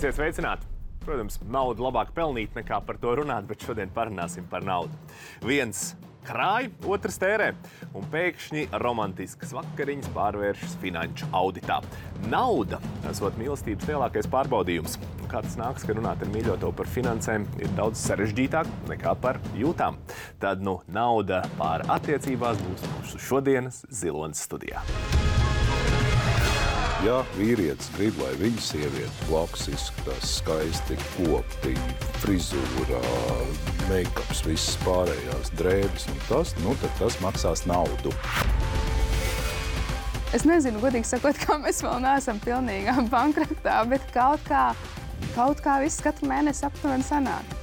Esiet sveicināti! Protams, naudu labāk pelnīt nekā par to runāt, bet šodien parunāsim par naudu. Viens krāj, otrs tērē, un pēkšņi romantiskas vakariņas pārvēršas finanšu auditā. Nauda esot mīlestības lielākais pārbaudījums. Kā tas nāks, ka runāt ar mīļoto par finansēm ir daudz sarežģītāk nekā par jūtām. Tad, nauda pār attiecībās būs mūsu šodienas Ziloņas studijā. Ja vīrietis grib, lai viņa sieviete blakus izskatās skaisti, kopti, frizūrā, meikaps, visas pārējās drēbes un tas, tad tas maksās naudu. Es nezinu, godīgi sakot, kā mēs vēl neesam pilnīgā bankrotā, bet kaut kā viss katru mēnesi aptuveni sanāk.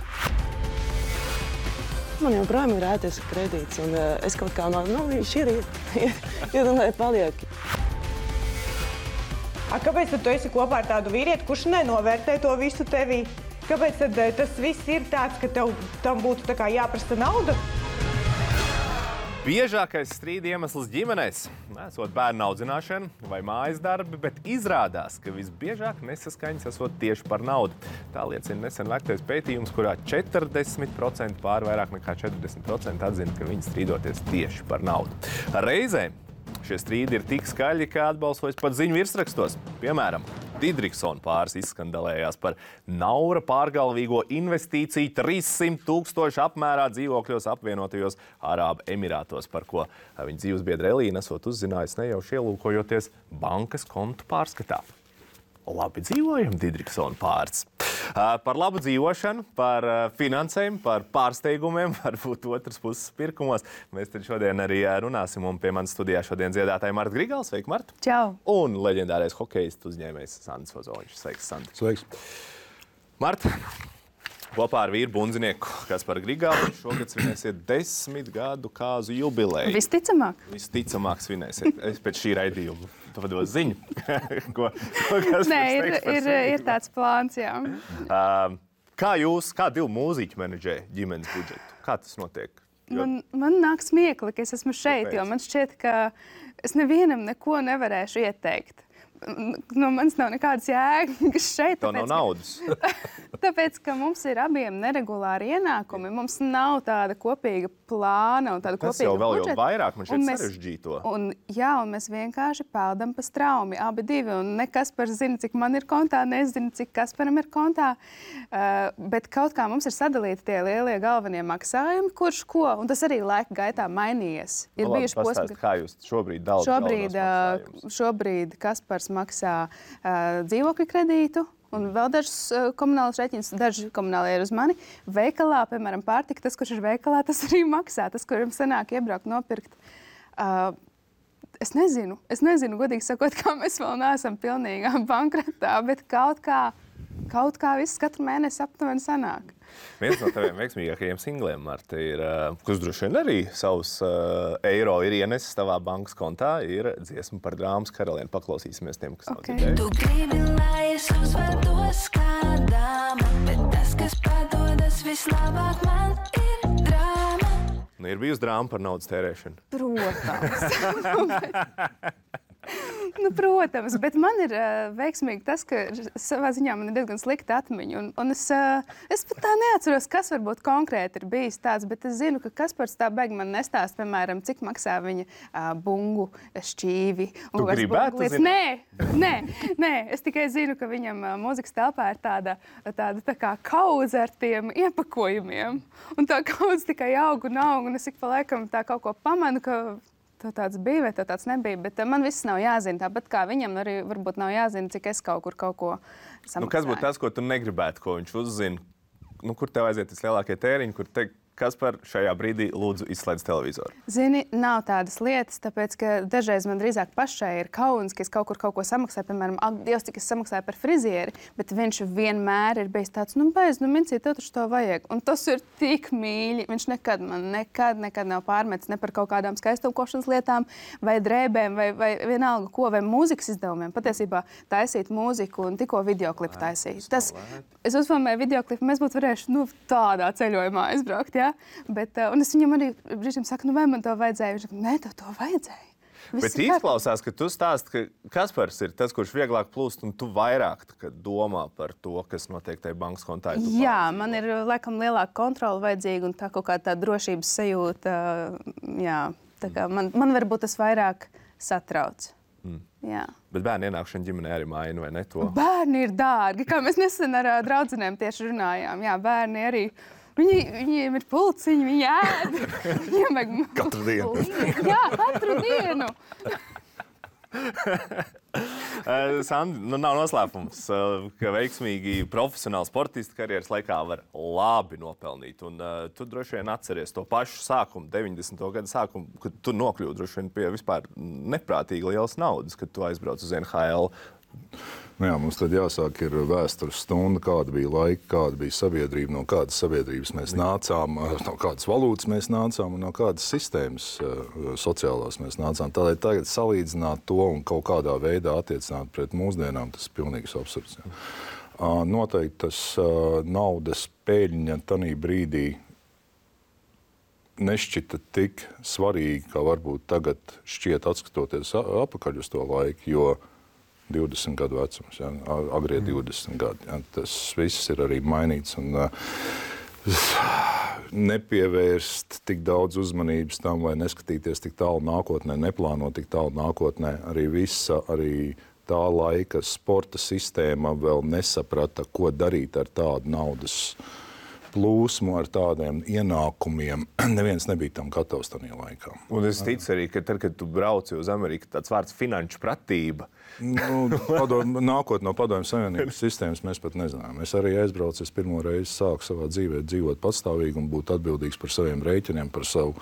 Man joprojām ir ēties kredīts, un es kaut kā viņš ir un lai paliek. Kāpēc tad tu esi kopā ar tādu vīrieti, kurš nenovērtē to visu tevī? Kāpēc tad tas viss ir tāds, ka tam būtu tā kā jāprasa nauda? Biežākais strīda iemesls ģimenēs esot bērnu audzināšana vai mājas darbi, bet izrādās, ka visbiežāk nesaskaņas esot tieši par naudu. Tā liecina nesen veiktais pētījums, kurā 40% vairāk nekā 40% atzina, ka viņi strīdoties tieši par naudu. Reizēm šie strīdi ir tik skaļi, kā atbalsojas pat ziņu virsrakstos. Piemēram, Didriksona pāris izskandalējās par Naura pārgalvīgo investīciju 300 000 apmērā dzīvokļos apvienotajos Arābu Emirātos, par ko viņa dzīvesbiedra Elīna esot uzzinājusi nejauši ielūkojoties bankas kontu pārskatā. Labi dzīvojam, Didriksona pāris. Par labu dzīvošanu, par finansēm, par pārsteigumiem, varbūt otras puses pirkumos. Mēs tad šodien arī runāsim, un pie manas studijā šodien dziedātāja Marta Grigals. Sveika, Marta! Čau! Un leģendārais hokejists uzņēmējs Sandis Ozoļs. Sveiks, Sandi! Sveiks! Marta, kopā ar vīru bundzinieku Kasparu Grigalu šogad svinēsiet 10 gadu kāzu jubileju. Visticamāk? Visticamāk svinēsiet. Es pēc šī raidījuma pavados ziņu. Nē, ir tāds plāns, jā. Kā divi mūziķi menedžē ģimenes budžetu? Kā tas notiek? Man nāk smiekli, ka es esmu šeit, jo man šķiet, ka es nevienam neko nevarēšu ieteikt. No manis nav nekādas jēgas šeit. Tā nav naudas. Tāpēc, ka mums ir abiem neregulāri ienākumi, mums nav tāda kopīga plāna un tāda kopīga budžeta. Tas jau vēl jau vairāk, man šeit sarežģīto. Un mēs vienkārši peldam pa straumi, abi divi, un ne Kaspars zina, cik man ir kontā, nezinu, cik Kasparam ir kontā, bet kaut kā mums ir sadalīti tie lielie galvenie maksājumi, kurš ko, un tas arī laika gaitā mainījies. Ir bijuši posmi, kā jūs šobrīd dalāt galvenos maksājumus? Šobrīd Kaspars maksā dzīvokļu kredītu un vēl dažus komunālus rēķinus, daži komunāli ir uz mani. Veikalā, piemēram, pārtika, tas, kurš ir veikalā, tas arī maksā, tas, kuram sanāk iebraukt, nopirkt. Es nezinu, godīgi sakot, kā mēs vēl neesam pilnīgā bankrotā, bet kaut kā viss katru mēnesi aptuveni sanāk. Viens no taviem veiksmīgākajiem singliem, Marta, ir, kurš droši vien arī savus eiro ir ienesis tavā bankas kontā, ir dziesma par drāmas karalieni. Paklausīsimies tiem, kas nav dzirdējuši. Tu gribi, lai es uzvedos kā dāma, bet tas, kas padodas vislabāk, man ir drāma. Ir bijusi drāma par naudas tērēšanu? Protams, bet man ir veiksmīgi tas, ka savā ziņā man ir diezgan slikta atmiņa. Un es pat tā neatceros, kas varbūt konkrēti ir bijis tāds, bet es zinu, ka Kaspars tā beig man nestāst, piemēram, cik maksā viņa bungu šķīvi. Tu gribētu zināt? Nē, es tikai zinu, ka viņam mūzikas telpā ir tāda tā kā kaudze ar tiem iepakojumiem. Un tā kaudze tikai aug, un es ik pa laikam tā kaut ko pamanu, ka tev tāds bija vai tev tāds nebija, bet man viss nav jāzina. Tāpat kā viņam arī varbūt nav jāzina, cik es kaut ko samaksāju. Kas būtu tas, ko tu negribētu, ko viņš uzzina? Kur tev aiziet vislielākie tēriņi, kur teikt, Kaspar, šajā brīdī lūdzu izslēdz televizoru? Zini, nav tādas lietas, tāpēc, ka dažreiz man drīzāk pašai ir kauns, ka es kaut ko samaksāju, piemēram, Dievs, cik es samaksāju par frizieri, bet viņš vienmēr ir bijis tāds, Mincī, tev taču to vajag. Un tas ir tik mīļi. Viņš nekad nav pārmetis ne par kaut kādām skaistumkošanas lietām, vai drēbēm, vai vienalga ko, vai mūzikas izdevumiem. Patiesībā taisīt mūziku un tikko videoklipu taisīt. Es uzfilmēju videoklipu, mēs būtu varējuši tādā ceļojumā aizbraukt, jā? Bet, un es viņam arī brīžiem saku, vai man to vajadzēja? Viņš saka, nē, tev to vajadzēja. Bet izklausās, ka tu stāsti, ka Kaspars ir tas, kurš vieglāk plūst, un tu vairāk domā par to, kas notiek tajā bankas kontā. Jā, man ir laikam lielāka kontrola vajadzīga un tā kaut kā tā drošības sajūta. Jā, tā kā man varbūt tas vairāk satrauc. Jā. Bet bērnu ienākšana ģimenē arī maina, vai ne to? Bērni ir dārgi, kā mēs nesen ar draudzenēm tieši runājām. Jā, bērni arī. Viņiem ir pulciņi, viņi ēd. Viņiem vajag... Katru dienu. Jā, katru dienu. Sandi, nav noslēpums, ka veiksmīgi profesionāli sportisti karjeras laikā var labi nopelnīt. Un tu droši vien atceries to pašu sākumu, 90. gadu sākumu, kad tu nokļūdi droši vien pie vispār neprātīgi lielas naudas, kad tu aizbrauc uz NHL. Nu jā, mums tad jāsāk ir vēstures stunda, kāda bija laika, kāda bija sabiedrība, no kādas sabiedrības mēs nācām, no kādas valūtas mēs nācām un no kādas sistēmas sociālās mēs nācām. Tādēļ tagad salīdzināt to un kaut kādā veidā attiecināt pret mūsdienām, tas ir pilnīgs absurds. Noteikti tas naudas pēļņa tanī brīdī nešķita tik svarīgi, kā varbūt tagad šķiet atskatoties apakaļ uz to laiku, jo 20 gadu vecums, agrie 20 gadi. Jā, tas viss ir arī mainīts un nepievērst tik daudz uzmanības tam, vai neskatīties tik tālu nākotnē, neplānot tik tālu nākotnē. Arī tā laika sporta sistēma vēl nesaprata, ko darīt ar tādu naudas plūsmu, ar tādiem ienākumiem. Neviens nebija tam gatavs tajā laikā. Un es ticu arī, ka tad, kad tu brauci uz Ameriku, tāds vārds finanšu pratība. Nākot no Padomju Savienības sistēmas mēs pat nezinām. Es arī aizbraucu, es pirmo reizi sāku savā dzīvē dzīvot patstāvīgi un būt atbildīgs par saviem rēķiniem, par savu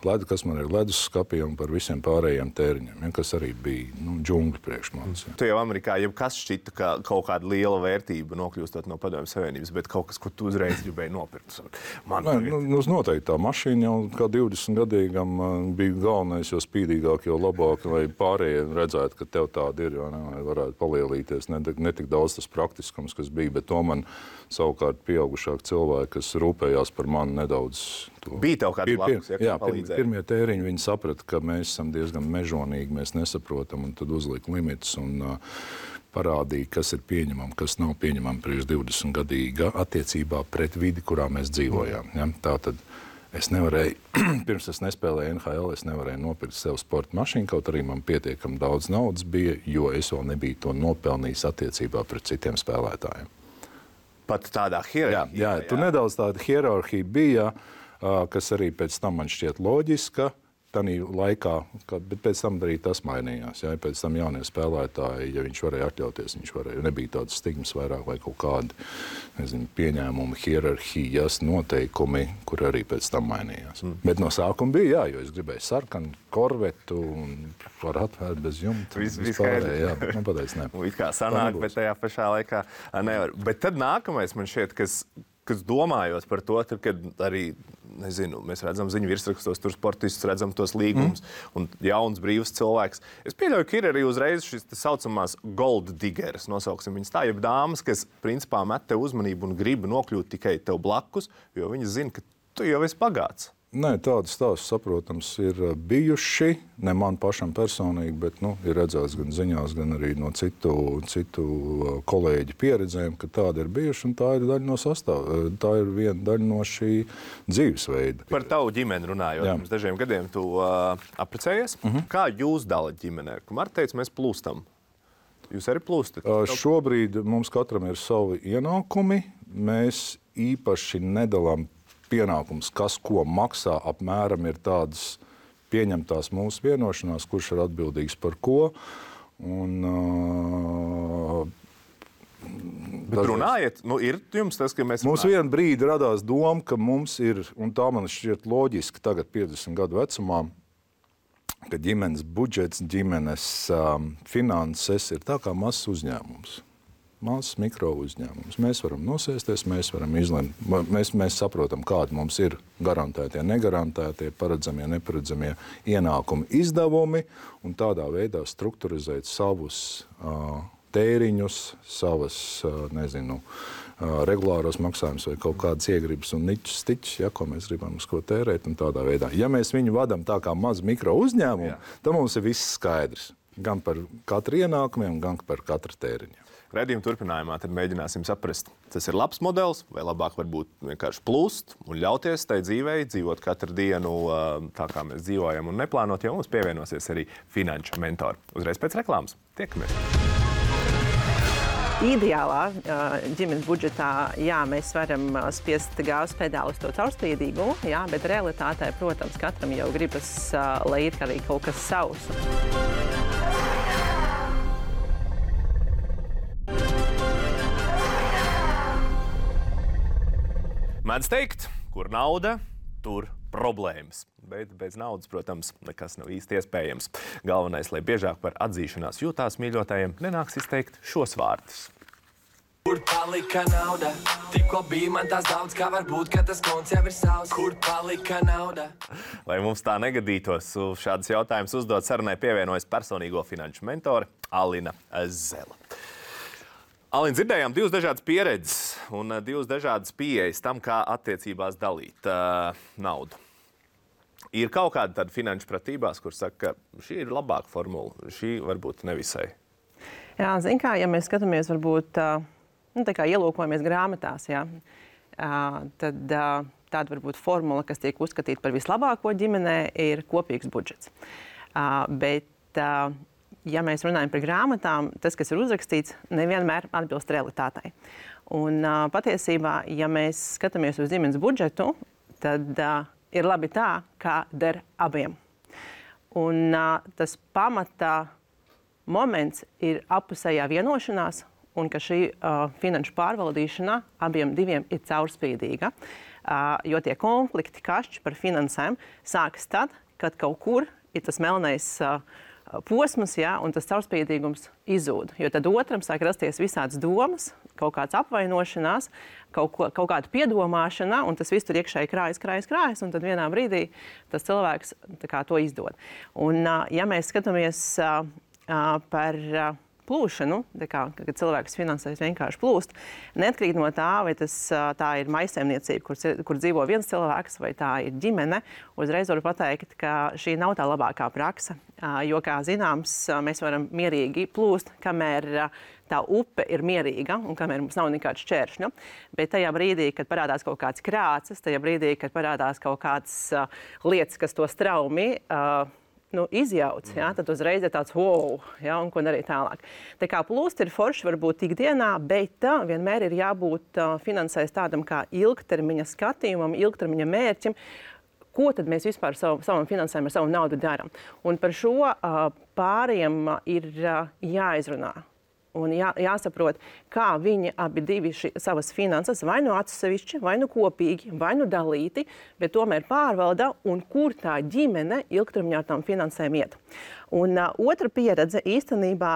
ledu, kas man ir ledusskapī un par visiem pārējiem tēriņiem, kas arī bija džungļi priekš manis. Tu jau Amerikā jebkas šķita, ka kaut kāda liela vērtība nokļūstot no Padomju Savienības, bet kaut kas, ko tu uzreiz gribēji nopirkt. Noteikti tā mašīna jau kā 20-gadīgam bija galvenais, jo spīdīgāk, jo labāk, lai pārējie redzētu, ka tev tāda ir, lai varētu palielīties. Ne tik daudz tas praktiskums, kas bija, bet to man savukārt pieaugušāk cilvēki, kas rūpējās par mani nedaudz. Bija tev kāds blakus, jā, pirmie tēriņi viņi saprata, ka mēs esam diezgan mežonīgi, mēs nesaprotam, un tad uzlika limits un parādīja, kas ir pieņemam, kas nav pieņemam priekš 20-gadīga attiecībā pret vidi, kurā mēs dzīvojām. Ja? Tātad es nevarēju, pirms es nespēlēju NHL, es nevarēju nopirkt sev sporta mašīnu, kaut arī man pietiekami daudz naudas bija, jo es vēl nebiju to nopelnījis attiecībā pret citiem spēlētājiem. Pat tādā hierarhijā. Jā, tur nedaudz tāda hierarhija bija, kas arī pēc tam man šķiet loģiska. Tanī laikā, bet pēc tam arī tas mainījās. Jā, pēc tam jaunie spēlētāji, ja viņš varēja atļauties, nebija tādas stigmas vairāk vai kaut kādi, pieņēmumi, hierarhijas, noteikumi, kur arī pēc tam mainījās. Bet no sākuma bija, jā, jo es gribēju sarkanu, korvetu un var atvērt bez jumta. Vispārēji, jā, bet man pateic, ne. It kā sanāk, bet tajā pašā laikā nevar. Bet tad nākamais man šķiet, kas domājot par to, tad, kad arī, mēs redzam ziņu virsrakstos, tur sportistus, redzam tos līgumus un jauns, brīvs cilvēks. Es pieļauju, ka ir arī uzreiz šis saucamās gold diggers, nosauksim viņas tā, jeb dāmas, kas principā met tev uzmanību un grib nokļūt tikai tev blakus, jo viņas zina, ka tu jau esi bagāts. Nē, tādas stāstus, saprotams, ir bijuši, ne man pašam personīgi, bet ir redzēts gan ziņās, gan arī no citu kolēģu pieredzēm, ka tāda ir bijuši, un tā ir daļa no tā ir viena daļa no šī dzīvesveida. Par tavu ģimeni runājot, pirms dažiem gadiem tu apprecējies. Kā jūs dalat ģimenē? Marta teica, mēs plūstam. Jūs arī plūstat? Šobrīd mums katram ir savi ienākumi. Mēs īpaši nedalām pienākums, kas ko maksā, apmēram ir tādas pieņemtās mūsu vienošanās, kurš ir atbildīgs par ko. Bet runājiet, ir jums tas, ka mēs... Mums vienu brīdi radās doma, ka mums ir, un tā man šķiet loģiski tagad 50 gadu vecumā, ka ģimenes budžets, ģimenes finanses ir tā kā mazs uzņēmums. Mazs mikro uzņēmums. Mēs varam nosēsties, mēs varam izlemt. Mēs saprotam, kādi mums ir garantētie, negarantētie, paredzamie, neparedzamie ienākumi, izdevumi un tādā veidā strukturizēt savus tēriņus, savas, regulāros maksājumus vai kaut kādas iegribas un niķus, stiķus, ja, ko mēs gribam uz ko tērēt un tādā veidā. Ja mēs viņu vadam tā kā mazu mikro uzņēmumu, tad mums ir viss skaidrs. Gan par katru ienākumiem, gan par katru tēriņu. Raidījuma turpinājumā tad mēģināsim saprast, tas ir labs modelis vai labāk varbūt vienkārši plūst un ļauties tai dzīvei, dzīvot katru dienu tā, kā mēs dzīvojam un neplānot, jo mums pievienosies arī finanšu mentori. Uzreiz pēc reklāmas. Tiekamies! Ideālā ģimenes budžetā, jā, mēs varam spiest gāzes pedāli uz to caurspīdīgu, jā, bet realitātē, protams, katram jau gribas, lai ir arī kaut kas savs. Mēdz teikt, kur nauda, tur problēmas. Bet bez naudas, protams, nekas nav īsti iespējams. Galvenais, lai biežāk par atzīšanās jūtās mīļotājiem, nenāks izteikt šos vārdus. Kur palika nauda? Tikko bija man tās daudz, kā varbūt, ka tas konts jau ir savs. Kur palika nauda? Lai mums tā negadītos, šādas jautājumas uzdot sarunai pievienojas personīgo finanšu mentore Alina Zela. Alin, dzirdējām divas dažādas pieredzes un divas dažādas pieejas tam, kā attiecībās dalīt naudu. Ir kaut kāda tāda finanšu pratībās, kur saka, ka šī ir labāka formula, šī varbūt nevisai. Jā, zin kā, ja mēs skatāmies varbūt, tā kā ielūkojamies grāmatās, jā, tad tāda varbūt formula, kas tiek uzskatīta par vislabāko ģimenē, ir kopīgs budžets. Bet ja mēs runājam par grāmatām, tas, kas ir uzrakstīts, nevienmēr atbilst realitātei. Un patiesībā, ja mēs skatāmies uz ģimenes budžetu, tad ir labi tā, kā der abiem. Un tas pamatā moments ir appusējā vienošanās, un ka šī finanšu pārvaldīšana abiem diviem ir caurspīdīga. Jo tie konflikti, kašķi par finansēm sākas tad, kad kaut kur ir tas melnais posms, jā, un tas caurspīdīgums izzūd. Jo tad otram sāk rasties visādas domas, kaut kāds apvainošanās, kaut kāda piedomāšana, un tas viss tur iekšēji krājas, un tad vienā brīdī tas cilvēks tā kā to izdod. Un ja mēs skatāmies par plūšanu, kad cilvēks finansēs vienkārši plūst, neatkarīgi no tā, vai tā ir maisaimniecība, kur dzīvo viens cilvēks, vai tā ir ģimene, uzreiz varu pateikt, ka šī nav tā labākā praksa. Jo, kā zināms, mēs varam mierīgi plūst, kamēr tā upe ir mierīga un kamēr mums nav nekāds šķēršļu. Bet tajā brīdī, kad parādās kaut kāds krācis, tajā brīdī, kad parādās kaut kāds lietas, kas to straumi izjauc, ja, tad uzreiz ir tāds wow, ja, un ko darīt tālāk. Tā kā plūst ir forši varbūt ikdienā, bet vienmēr ir jābūt finansēs tādam kā ilgtermiņa skatījumam, ilgtermiņa mērķim, ko tad mēs vispār savam finansējumu ar savu naudu daram. Un par šo pāriem ir jāizrunā. Un jāsaprot, kā viņi abi divi savas finanses vai nu atsevišķi, vai nu kopīgi, vai nu dalīti, bet tomēr pārvalda un kur tā ģimene ilgtermiņā tam finansēm iet. Un otra pieredze īstenībā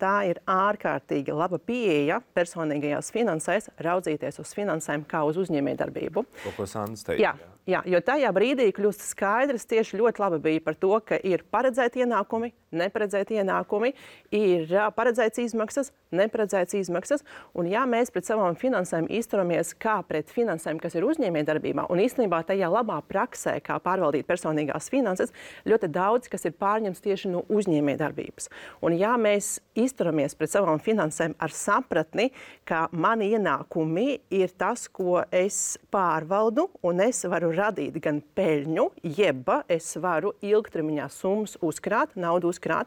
tā ir ārkārtīgi laba pieeja personīgajās finansēs raudzīties uz finansēm kā uz uzņēmējdarbību. Ko Sandra teica? Jā, jo tajā brīdī kļūst skaidrs, tieši ļoti labi bija par to, ka ir paredzēti ienākumi, neparedzēti ienākumi, ir paredzēts izmaksas, neparedzēts izmaksas, un ja mēs pret savām finansēm izturamies kā pret finansēm, kas ir uzņēmējdarbībā, un īstenībā tajā labā praksē, kā pārvaldīt personīgās finanses, ļoti daudz, kas ir pārņemts tieši no uzņēmējdarbības. Un ja mēs izturamies pret savām finansēm ar sapratni, ka mani ienākumi ir tas, ko es pārvaldu, un es varu radīt gan peļņu, jeb es varu ilgtermiņā summas uzkrāt, naudu uzkrāt,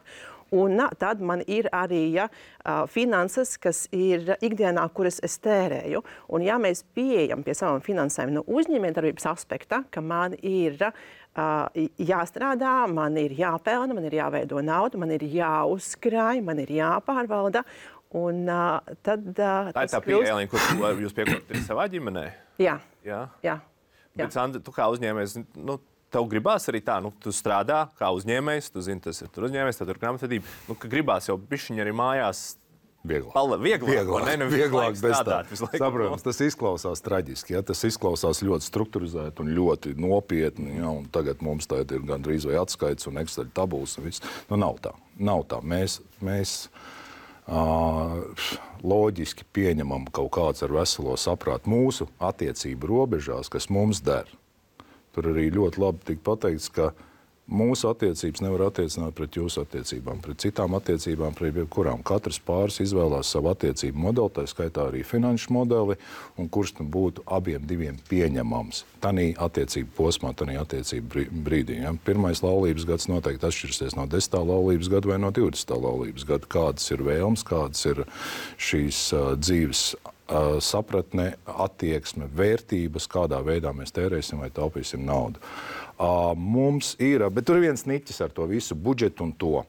un tad man ir arī finanses, kas ir ikdienā, kuras es tērēju. Un ja mēs pieejam pie savām finansēm no uzņēmējdarbības aspekta, ka man ir jāstrādā, man ir jāpelna, man ir jāveido naudu, man ir jāuzkrāj, man ir jāpārvalda, un tad tā ir tā pieeja, kur jūs piekotat savā ģimenē? Jā. Bet, Sandra, tu kā uzņēmējs, tev gribās arī tā, tu strādā kā uzņēmējs, tu zini, tas ir tur uzņēmējs, tad tur grāmatvedība, ka gribās jau bišķiņi arī mājās Vieglāk bez tā. Saprotams, tas izklausās traģiski, ja? Tas izklausās ļoti strukturizēti un ļoti nopietni, ja? Un tagad mums tā ir gandrīz vai atskaits un Excel tabulas un viss. Nav tā. Mēs loģiski pieņemam kaut kāds ar veselo saprātu mūsu attiecību robežās, kas mums der. Tur arī ļoti labi tika pateikts, ka mūsu attiecības nevar attiecināt pret jūsu attiecībām, pret citām attiecībām, pret jebkurām. Katrs pāris izvēlās savu attiecību modeli, tā skaitā arī finanšu modeli, un kurš tam būtu abiem diviem pieņemams. Tanī attiecību posmā, tanī attiecību brīdī. Ja? Pirmais laulības gads noteikti atšķirsies no 10. laulības gada vai no 20. laulības gada. Kādas ir vēlmes, kādas ir šīs dzīves sapratne, attieksme, vērtības, kādā veidā mēs tērēsim vai taupīsim naudu. Mums ir, bet tur ir viens niķis ar to visu budžetu un to.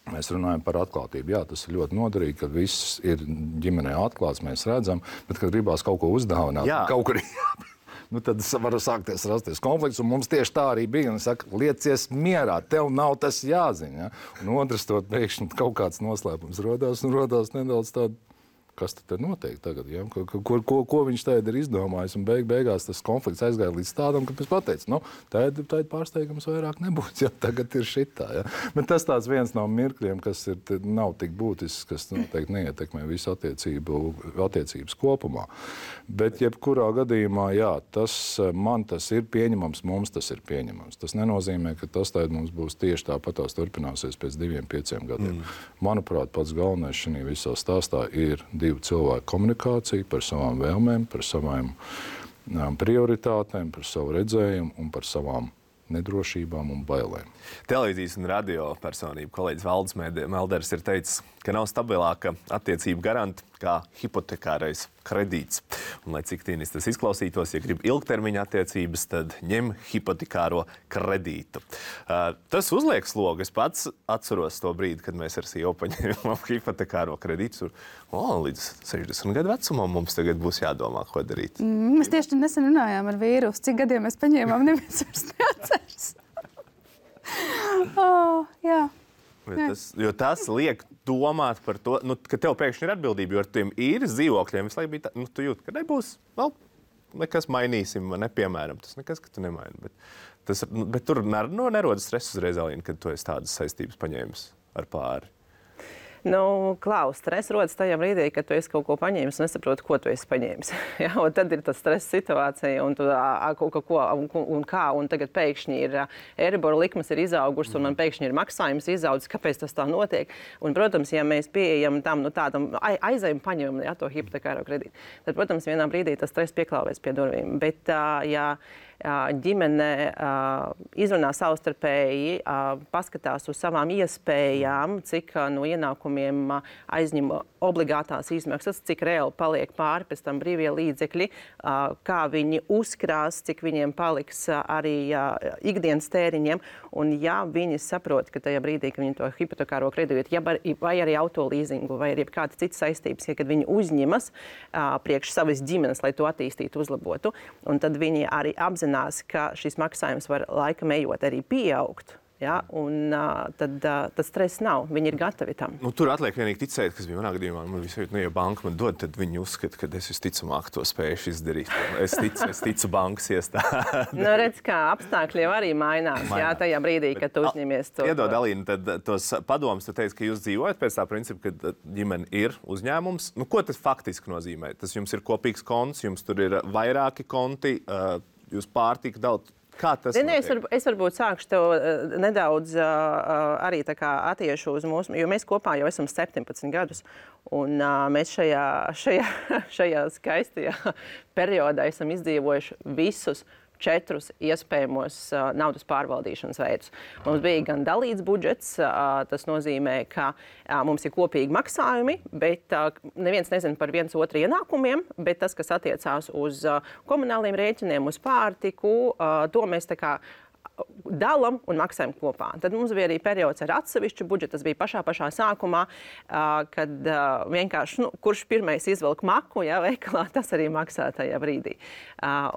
Mēs runājam par atklātību. Jā, tas ir ļoti noderīgi, kad viss ir ģimenē atklāts, mēs redzam, bet kad gribās kaut ko uzdāvināt, kaut kur tad var rasties konflikts, un mums tieši tā arī bija. Un saka, liecies mierā, tev nav tas jāzina. Ja? Un otrs to pēkšņi kaut kāds noslēpums rodās nedaudz tādu. Kas tad notiek tagad? Ja? Ko viņš tagad ir izdomājis? Un beigās tas konflikts aizgāja līdz tādam, ka mēs pateicām, tāda pārsteigums vairāk nebūs. Ja? Tagad ir šitā. Ja? Bet tas tāds viens no mirkļiem, kas nav tik būtisks, kas noteikti neietekmē visu attiecības kopumā. Bet jebkurā gadījumā, jā, man tas ir pieņemams, mums tas ir pieņemams. Tas nenozīmē, ka tas tagad mums būs tieši tāpatās turpināsies pēc 2-5 gadiem. Manuprāt, pats galvenais šajā visā stāstā ir divu cilvēku komunikācija par savām vēlmēm, par savām prioritātēm, par savu redzējumu un par savām nedrošībām un bailēm. Televīzijas un radio personība kolēģis Valdis Melders ir teicis, ka nav stabilāka attiecību garanta kā hipotekārais kredīts. Un, lai cik tīnis tas izklausītos, ja grib ilgtermiņa attiecības, tad ņem hipotekāro kredītu. Tas uzliek slogu. Es pats atceros to brīdi, kad mēs ar sievu paņēmām hipotekāro kredītu. Līdz 60 gadu vecumam mums tagad būs jādomā, ko darīt. Mēs tieši nesen runājām ar vīru, cik gadiem mēs paņēmām, neviens vairs neatceras. Jā. Jo tas liek domāt par to, ka tev pēkšņi ir atbildība, jo ar tiem īres dzīvokļiem visu laiku bija tā, tu jūti, ka nebūs, nekas mainīsim, piemēram, tas nekas, ka tu nemaini. Bet tur nerodas stress uzreiz, Alīna, kad tu esi tādas saistības paņēmis ar pāri. Klaus, stress rodas tajā brīdī, kad tu esi kaut ko paņēmis un nesaproti, ko tu esi paņēmis. Ja, un tad ir tas stress situācija, un tu kaut ko un kā, un tagad pēkšņi ir Euribor likmes ir izaugušas, un man pēkšņi ir maksājums izaudzis, kāpēc tas tā notiek. Un, protams, ja mēs pieejam tam, tādam aizējam paņemam to hipotekāro kredītu, tad, protams, vienā brīdī tas stress pieklāvēs pie durvīm. Bet, ja ģimene izrunā savstarpēji, paskatās uz savām iespējām, cik no ienākumiem aizņem obligātās izmaksas, cik reāli paliek pāri pēc tam brīvie līdzekļi, kā viņi uzkrās, cik viņiem paliks arī ikdienas tēriņiem. Un ja viņi saprot, ka tajā brīdī, kad viņi to hipotekāro kredītu, vai arī autolīzingu, vai arī kādas citas saistības, kad viņi uzņemas priekš savas ģimenes, lai to attīstītu, uzlabotu, un tad viņi arī apzinās, ka šis maksājums var laikam ejot arī pieaugt. Ja, un tad stress nav. Viņi ir gatavi tam. Tur atliek vienīgi ticēt, kas bija manā gadījumā. Man visu ja banka man dod, tad viņi uzskata, ka es visticamāk to spējuši izdarīt. Es ticu bankas iestādi. Redz, kā apstākļi arī mainās. Jā, tajā brīdī, kad tu uzņemies to. Iedod, Alīna, tad tos padomus, tu teici, ka jūs dzīvojat pēc tā principa, ka ģimene ir uzņēmums. Ko tas faktiski nozīmē? Tas jums ir kopīgs konts, jums tur ir vairāki konti, jūs pārtika daudz. Kā tas notiek? Es varbūt sākšu tev nedaudz arī tā kā attiešu uz mūsu, jo mēs kopā jau esam 17 gadus, un mēs šajā skaistajā periodā esam izdzīvojuši visus 4 iespējamos naudas pārvaldīšanas veidus. Mums bija gan dalīts budžets, tas nozīmē, ka mums ir kopīgi maksājumi, bet neviens nezina par viens otru ienākumiem, bet tas, kas attiecās uz komunāliem rēķiniem, uz pārtiku, to mēs tā kā dalam un maksājam kopā. Tad mums bija arī periods ar atsevišķu budžetu. Tas bija pašā sākumā, kad vienkārši, kurš pirmais izvelk maku, veikalā, tas arī maksā tajā brīdī.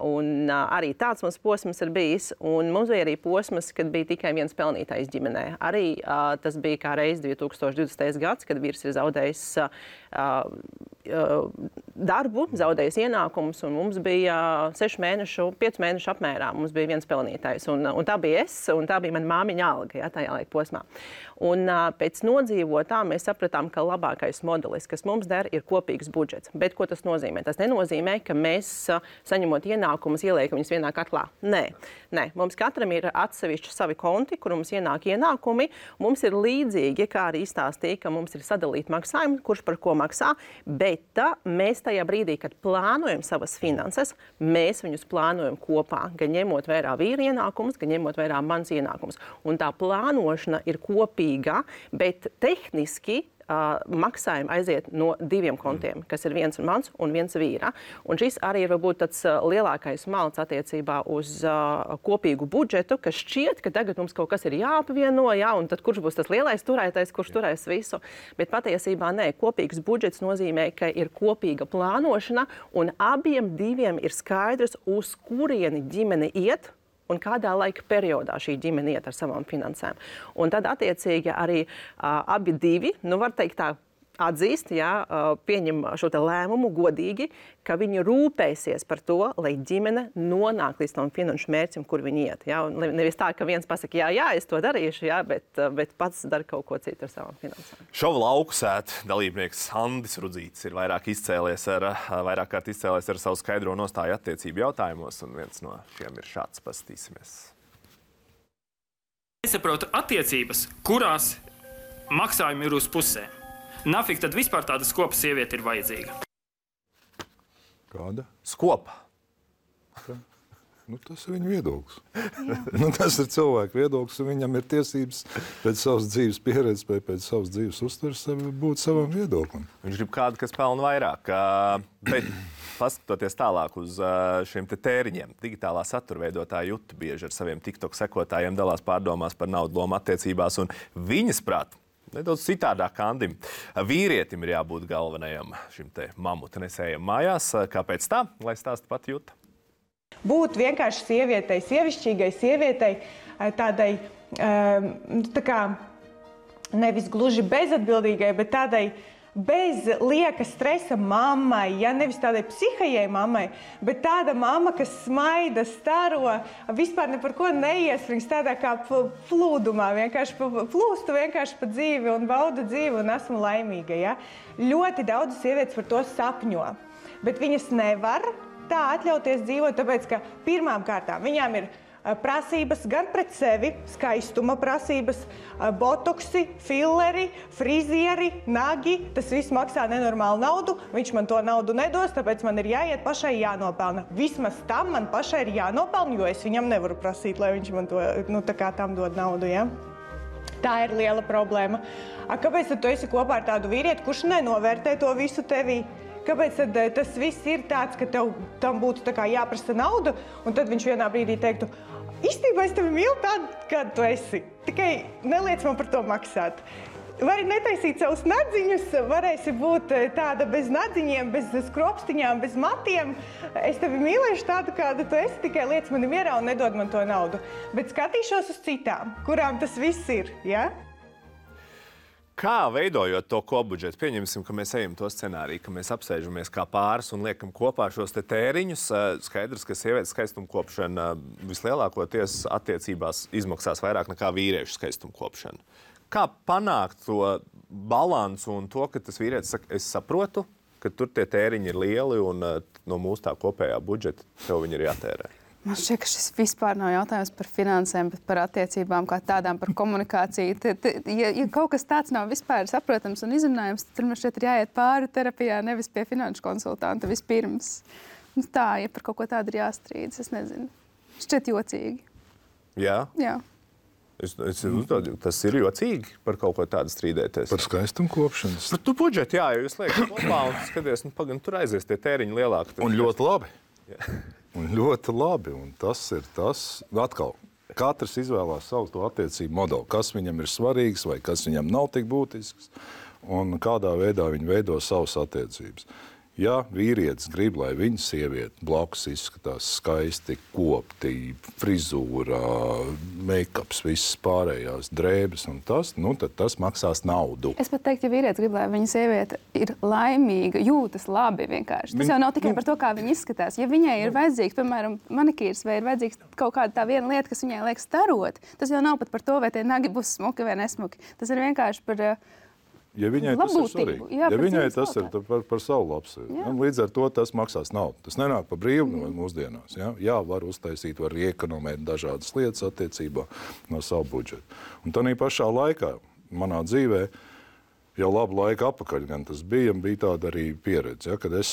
Un arī tāds mums posms ir bijis. Un mums bija arī posms, kad bija tikai viens pelnītājs ģimenē. Arī tas bija kā reiz 2020. gads, kad vīrs ir zaudējis darbu, zaudējis ienākumus, un mums bija 5 mēnešu apmērā. Mums bija viens pelnītājs, un tā bija es, un tā bija mana māmiņa alga, ja, tajā laika posmā. Un pēc nodzīvotā mēs sapratām, ka labākais modelis, kas mums der, ir kopīgs budžets. Bet ko tas nozīmē? Tas nenozīmē, ka mēs saņemot ienākumus ieliekam viņus vienā katlā. Nē. Mums katram ir atsevišķi savi konti, kur mums ienāk ienākumi. Mums ir līdzīgi, kā arī izstāstīja, ka mums ir sadalīti maksājumi, kurš par ko maksā, bet mēs tajā brīdī, kad plānojam savas finanses, mēs viņus plānojam kopā, gan ņemot vērā vīra ienākumus, gan ņemot vērā mans ienākumus. Un tā plānošana ir kopīga, bet tehniski maksājumi aiziet no 2 kontiem, kas ir viens mans un viens vīra. Un šis arī ir varbūt tāds lielākais malts attiecībā uz kopīgu budžetu, ka šķiet, ka tagad mums kaut kas ir jāapvieno, jā, un tad kurš būs tas lielais turētais, kurš turēs visu. Bet patiesībā nē, kopīgs budžets nozīmē, ka ir kopīga plānošana, un abiem diviem ir skaidrs, uz kurieni ģimene iet, un kādā laika periodā šī ģimene iet ar savām finansēm. Un tad attiecīgi arī abi divi, var teikt tā, atzīst, pieņem šo te lēmumu godīgi, ka viņi rūpēsies par to, lai ģimene nonāk līdz tam finanšu mērķim, kur viņi iet. Ja? Un nevis tā, ka viens pasaka, jā, es to darīšu, bet pats dara kaut ko citu ar savām finansēm. Šova lauku sēt dalībnieks Andis Rudzītis ir vairāk kārt izcēlies ar savu skaidro nostāju attiecību jautājumos, un viens no šiem ir šāds, paskatīsimies. Es saprotu attiecības, kurās maksājumi ir uz pusēm. Nafik tad vispār tāda skopa sieviete ir vajadzīga? Kāda? Skopa. Tas ir viņa viedoklis. Tas ir cilvēka viedoklis, un viņam ir tiesības pēc savas dzīves pieredzes, pēc savas dzīves uztveres būt savam viedoklim. Viņš grib kādu, kas pelna vairāk. Bet paskatoties tālāk uz šiem te tēriņiem, digitālā satura veidotāja Juta bieži ar saviem TikTok sekotājiem dalās pārdomās par naudu lomu attiecībās, un viņas prāt, nedaudz citādāk Andim. Vīrietim ir jābūt galvenajam šim te mamuta nesējam mājās. Kāpēc tā? Lai stāsta pat Juta. Būt vienkārši sievietei, sievišķīgai sievietei, tādai, tā kā nevis gluži bezatbildīgai, bet tādai bez lieka stresa mammai, nevis tādai psihajai mammai, bet tāda mamma, kas smaida, staro, vispār ne par ko neiesprings, tādā kā plūdumā, vienkārši plūstu vienkārši pa dzīvi un bauda dzīvi un esmu laimīga. Ja? Ļoti daudz sievietes par to sapņo, bet viņas nevar tā atļauties dzīvot, tāpēc, ka pirmām kārtām viņām ir prasības gan pret sevi, skaistuma prasības, botoksi, filleri, frizieri, nagi. Tas viss maksā nenormālu naudu. Viņš man to naudu nedos, tāpēc man ir jāiet pašai jānopelna. Vismaz tam man pašai ir jānopelna, jo es viņam nevaru prasīt, lai viņš man to, tā kā tam dod naudu, ja? Tā ir liela problēma. Kāpēc tad tu esi kopā ar tādu vīrieti, kurš nenovērtē to visu tevī? Kāpēc tad tas viss ir tāds, ka tev tam būtu tā kā jāprasa naudu, un tad viņš vienā brīdī teiktu, īstenībā es tevi mīlu tādu, kādu tu esi. Tikai neliec man par to maksāt. Vari netaisīt savus nadziņus, varēsi būt tāda bez nadziņiem, bez skropstiņām, bez matiem. Es tevi mīlēšu tādu, kāda tu esi, tikai liec mani mierā un nedod man to naudu. Bet skatīšos uz citām, kurām tas viss ir, ja? Kā veidojot to kopbudžetu? Pieņemsim, ka mēs ejam to scenāriju, ka mēs apsēžamies kā pāris un liekam kopā šos te tēriņus. Skaidrs, ka sievietes skaistumkopšana vislielākoties attiecībās izmaksās vairāk nekā vīriešu skaistumkopšana. Kā panākt to balansu un to, ka tas vīrietis saka, es saprotu, ka tur tie tēriņi ir lieli un no mūsu tā kopējā budžeta tev viņi ir jātērē? Man šķiet, ka šis vispār nav jautājums par finansēm, bet par attiecībām kā tādām, par komunikāciju. Ja kaut kas tāds nav vispār saprotams un izrunājams, tad man šķiet ir jāiet pāri terapijā, nevis pie finanšu konsultanta vispirms. Tā, ja par kaut ko tādu ir jāstrīdas, es nezinu. Šķiet jocīgi. Jā? Jā. Es uzdodu, tas ir jocīgi par kaut ko tādu strīdēties. Par skaistumkopšanas. Par tu budžetu, jā, jo jūs liekat kopā un skaties, pagaidām, tur aizies tie tēriņi lielāki. Un ļoti labi. Jā. Un ļoti labi, un tas ir tas, atkal, katrs izvēlās savu to attiecību modeli, kas viņam ir svarīgs vai kas viņam nav tik būtisks, un kādā veidā viņi veido savas attiecības. Ja vīrietis grib, lai viņa sieviete blakus izskatās skaisti, kopti, frizūrā, make-ups, visas pārējās drēbes un tas, nu, tad tas maksās naudu. Es pat teiktu, ja vīrietis grib, lai viņa sieviete ir laimīga, jūtas labi vienkārši. Tas jau nav tikai par to, kā viņa izskatās. Ja viņai ir vajadzīgs, piemēram, manikīrs vai ir vajadzīgs kaut kāda tā viena lieta, kas viņai liekas starot, tas jau nav pat par to, vai tie nagi būs smuki vai nesmuki. Tas ir vienkārši par Ja viņai tas ir svarīgi, jā, ja viņai tas ir par savu labsajūtu, līdz ar to tas maksās naudu. Tas nenāk par brīvu mūsdienās. Jā, var uztaisīt, var iekonomēt dažādas lietas attiecībā no savu budžetu. Un tādā pašā laikā manā dzīvē jau labu laiku apakaļ gan tas bija tāda arī pieredze, ja, kad es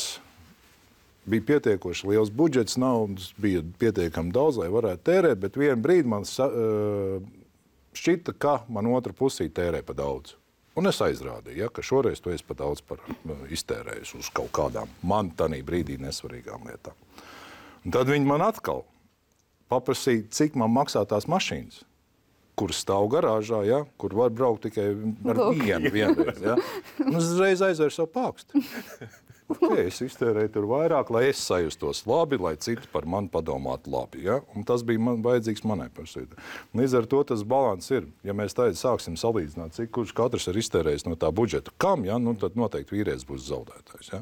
bija pietiekoši liels budžets, naudas bija pietiekami daudz, lai varētu tērēt, bet vienu brīdi man šķita, ka man otra pusī tērē pa daudz. Un es aizrādīju, ja, ka šoreiz tu esi pa daudz iztērējis uz kaut kādām man tanī brīdī nesvarīgām lietām. Un tad viņi man atkal paprasīja, cik man maksā tās mašīnas, kuras stāv garāžā, ja, kur var braukt tikai ar vienreiz. Ja. Un es uzreiz aizvēru savu pākstu. Okay, es iztērēju tur vairāk, lai es sajustos labi, lai citi par mani padomātu labi. Ja? Un tas bija vajadzīgs manai personai. Līdz ar to tas balans ir. Ja mēs tagad sāksim salīdzināt, cik kurš katrs ir iztērējis no tā budžeta, kam, ja? Nu, tad noteikti vīrietis būs zaudētājs. Ja?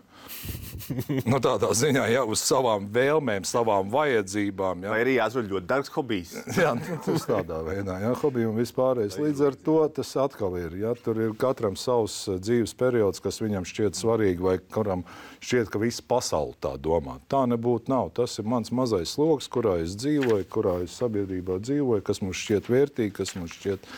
Nu, tādā ziņā, ja, uz savām vēlmēm, savām vajadzībām. Ja? Vai arī jāsver ļoti dārgs hobijs. Jā, tas tādā veidā, ja? Hobiji un vispārējais. Līdz ar to tas atkal ir. Ja? Tur ir katram savs dzīves periods, kas viņam šķiet svarīgi vai kuram šķiet, ka visa pasaule tā domā. Tā nebūtu nav. Tas ir mans mazais sloks, kurā es dzīvoju, kurā es sabiedrībā dzīvoju, kas mums šķiet vērtīgi, kas mums šķiet,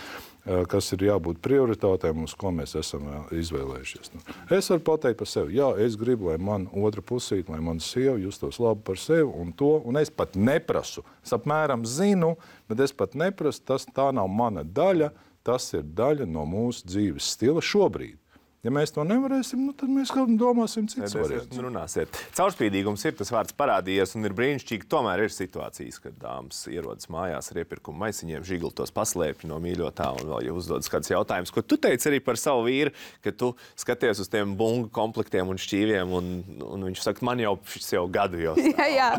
kas ir jābūt prioritātēm, uz ko mēs esam izvēlējušies. Es varu pateikt par sevi. Jā, es gribu, lai man otra pusīt, lai man sieva justos labi par sevi un to, un es pat neprasu. Es apmēram zinu, bet es pat neprasu, tā nav mana daļa, tas ir daļa no mūsu dzīves stila šobrīd. Ja mēs to nevarēsim, nu, tad mēs domāsim citas variantus. Runāsiet. Caurspīdīgums ir tas vārds parādījies un ir brīnišķīgi. Tomēr ir situācijas, kad dāmas ierodas mājās ar iepirkuma maisiņiem, žigli tos paslēpj no mīļotā un vēl jau uzdodas kāds jautājums, ko tu teici arī par savu vīru, ka tu skaties uz tiem bungu komplektiem un šķīviem un viņš saka, man jau šis jau gadu jau stāv, jā.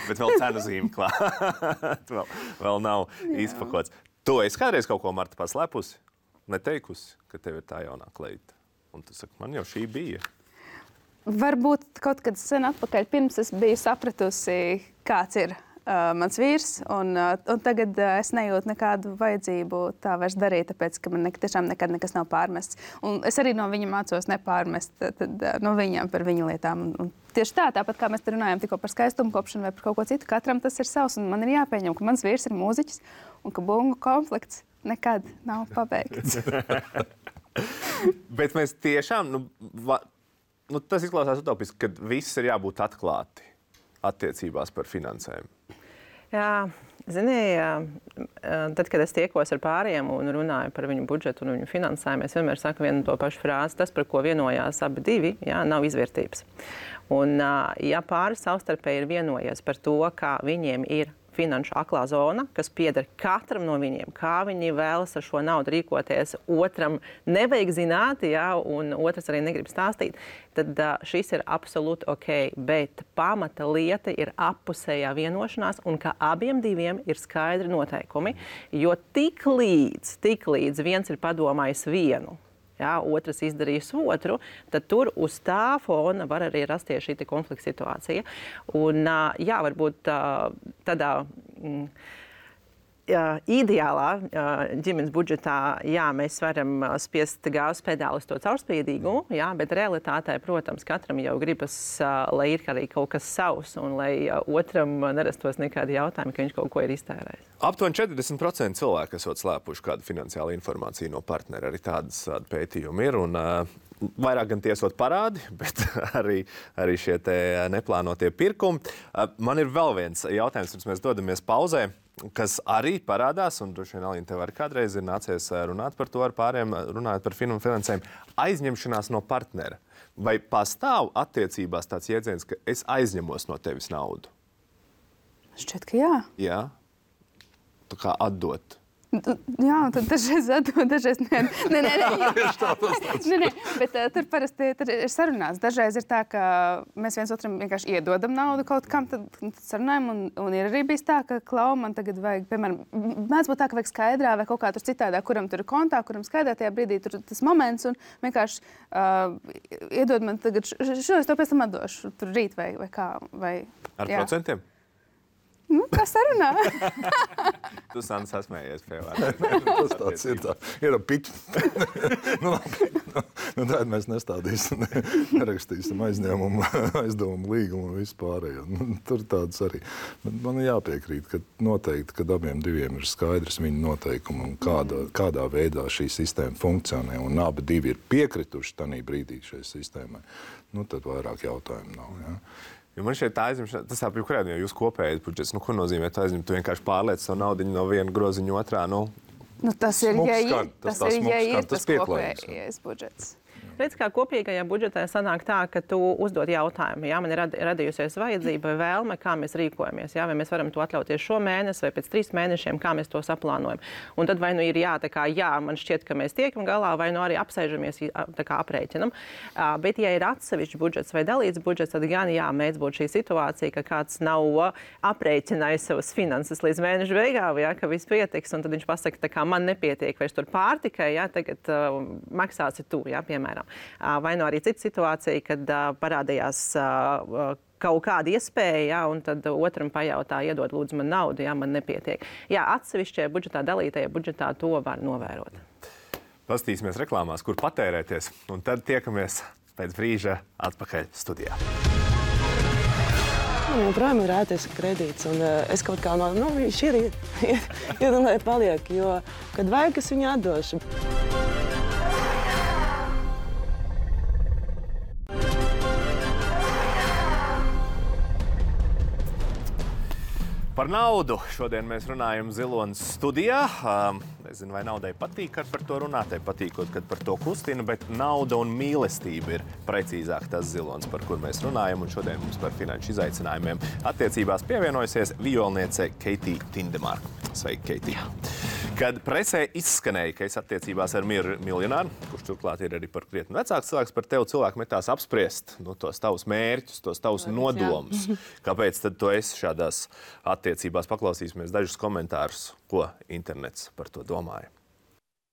Bet vēl cenu zīme klāt. vēl nav izpakots. Tu esi kādreiz kaut ko, Marta, paslēpusi? Neteikusi, ka tev ir tā jaunā kleita? Un tu saki, man jau šī bija. Varbūt kaut kad sen atpakaļ, pirms es biju sapratusi, kāds ir mans vīrs, un tagad es nejūtu nekādu vajadzību tā vairs darīt, tāpēc, ka man tiešām nekad nekas nav pārmests. Un es arī no viņa mācos nepārmest no viņam par viņa lietām. Un tieši tāpat kā mēs te runājam tikko par skaistumu kopšanu vai par kaut ko citu, katram tas ir savs, un man ir jāpieņem, ka mans vīrs ir mūziķis un ka bungu komplekts nekad nav pabeigts. Bet mēs tiešām, tas izklausās utopiski, ka viss ir jābūt atklāti attiecībās par finansēm. Jā, tad, kad es tiekos ar pāriem un runāju par viņu budžetu un viņu finansējumu, es vienmēr saku vienu to pašu frāzi. Tas, par ko vienojās abi divi, nav izvērtības. Un, ja pāris savstarpēji ir vienojies par to, kā viņiem ir finanšu aklā zona, kas pieder katram no viņiem, kā viņi vēlas ar šo naudu rīkoties, otram nevajag zināt, un otrs arī negrib stāstīt, tad šis ir absolūti ok, bet pamata lieta ir appusējā vienošanās un ka abiem diviem ir skaidri noteikumi, jo tik līdz viens ir padomājis vienu, otrs izdarījis otru, tad tur uz tā fona var arī rasties šī konflikta situācija. Un, varbūt tādā ideālā ģimenes budžetā, mēs varam spiest gāzes pedāli uz to caurspīdīgumu, bet realitātē, protams, katram jau gribas, lai ir arī kaut kas savs un lai otram nerastos nekādi jautājumi, ka viņš kaut ko ir iztērējis. Aptuveni 40% cilvēku esot slēpuši kādu finansiālu informāciju no partnera. Arī tādas pētījumi ir. Un, vairāk gan tiesot parādi, bet arī šie te neplānotie pirkumi. Man ir vēl viens jautājums, pirms mēs dodamies pauzē, kas arī parādās, un droši vien, Alīna, tev arī kādreiz ir nācies runāt par to ar pāriem, runājot par finansējumu, aizņemšanās no partnera. Vai pastāv attiecībās tāds jēdziens, ka es aizņemos no tevis naudu? Šķiet, ka jā. Jā? Tā kā atdot. Jā, un tad dažreiz atdod, dažreiz nē. Nē, bet tur parasti ir sarunās. Dažreiz ir tā, ka mēs viens otram vienkārši iedodam naudu kaut kam, tad sarunājam, un ir arī bijis tā, ka Klau, man tagad vajag, piemēram, mēdz būt tā, ka vajag skaidrā vai kaut kā tur citādā, kuram tur ir kontā, kuram skaidrā tajā brīdī tur tas moments, un vienkārši iedod man tagad, šo es to pēc tam atdošu, tur rīt vai kā. Vai, ar procentiem? Kā sarunā? Tu, Sanda, sasmējies pie Tas tāds ir tā. Ir piķi. Tāda mēs nestādīsim, nerakstīsim aizdevumu līgumu un visu pārējo. Tur tāds arī. Bet man jāpiekrīt, ka noteikti, kad abiem diviem ir skaidrs viņa noteikumi un kādā veidā šī sistēma funkcionē un abi divi ir piekrituši tanī brīdī šai sistēmai, tad vairāk jautājumu nav. Ja? Jo man šeit tā aizņemšana, tas tā kurām jau jūs kopējat budžets, ko nozīmē tā aizņemt? Tu vienkārši pārliec savu naudiņu no viena groziņa otrā, tas ir, ja ir tas pieklājīgs. kopējais budžets. Redz, kā kopīgajā budžetā sanāk tā, ka tu uzdod jautājumu. Jā, man ir radījusies vajadzība vai vēlme, kā mēs rīkojamies. Jā, vai mēs varam to atļauties šo mēnesi vai pēc 3 mēnešiem, kā mēs to saplānojam. Un tad vai nu ir jā, man šķiet, ka mēs tiekam galā, vai nu arī apsēžamies, aprēķinam. Bet, ja ir atsevišķs budžets vai dalīts budžets, tad gan mēdz būt šī situācija, ka kāds nav aprēķinājis savas finanses līdz mēneša beigām, ka viss pietiks, un tad viņš pasaka, ka man nepietiek vairs tur pārtikai, tagad maksāsi tu, piemēram. Vai nu arī cita situācija, kad parādījās kaut kāda iespēja, un tad otram pajautā, iedod lūdzu man naudu, man nepietiek. Jā, atsevišķajā budžetā, dalītajā budžetā to var novērot. Pastīsimies reklāmās, kur patērēties, un tad tiekamies pēc brīža atpakaļ studijā. Man joprojām ir ēties kredīts, un es kaut kā viņš ir un lai paliek, jo, kad vajag, es viņu atdošu. Par naudu. Šodien mēs runājam Zilonas studijā. Nezinu, vai naudai patīk, kad par to runāt, patīkot, kad par to kustina, bet nauda un mīlestība ir precīzāk tas Zilonas, par kur mēs runājam. Un šodien mums par finanšu izaicinājumiem attiecībās pievienojusies violniece Keitija Tindemārka. Sveiki, Keitija! Kad presē izskanēja, ka es attiecībās ar miljonāru, kurš turklāt ir arī par krietni vecāks cilvēks, par tevi cilvēku metās apspriest tos tavus mērķus, tos tavus nodomus. Kāpēc tad tu esi šādās attiecībās? Paklausīsimies dažus komentārus, ko internets par to domāja.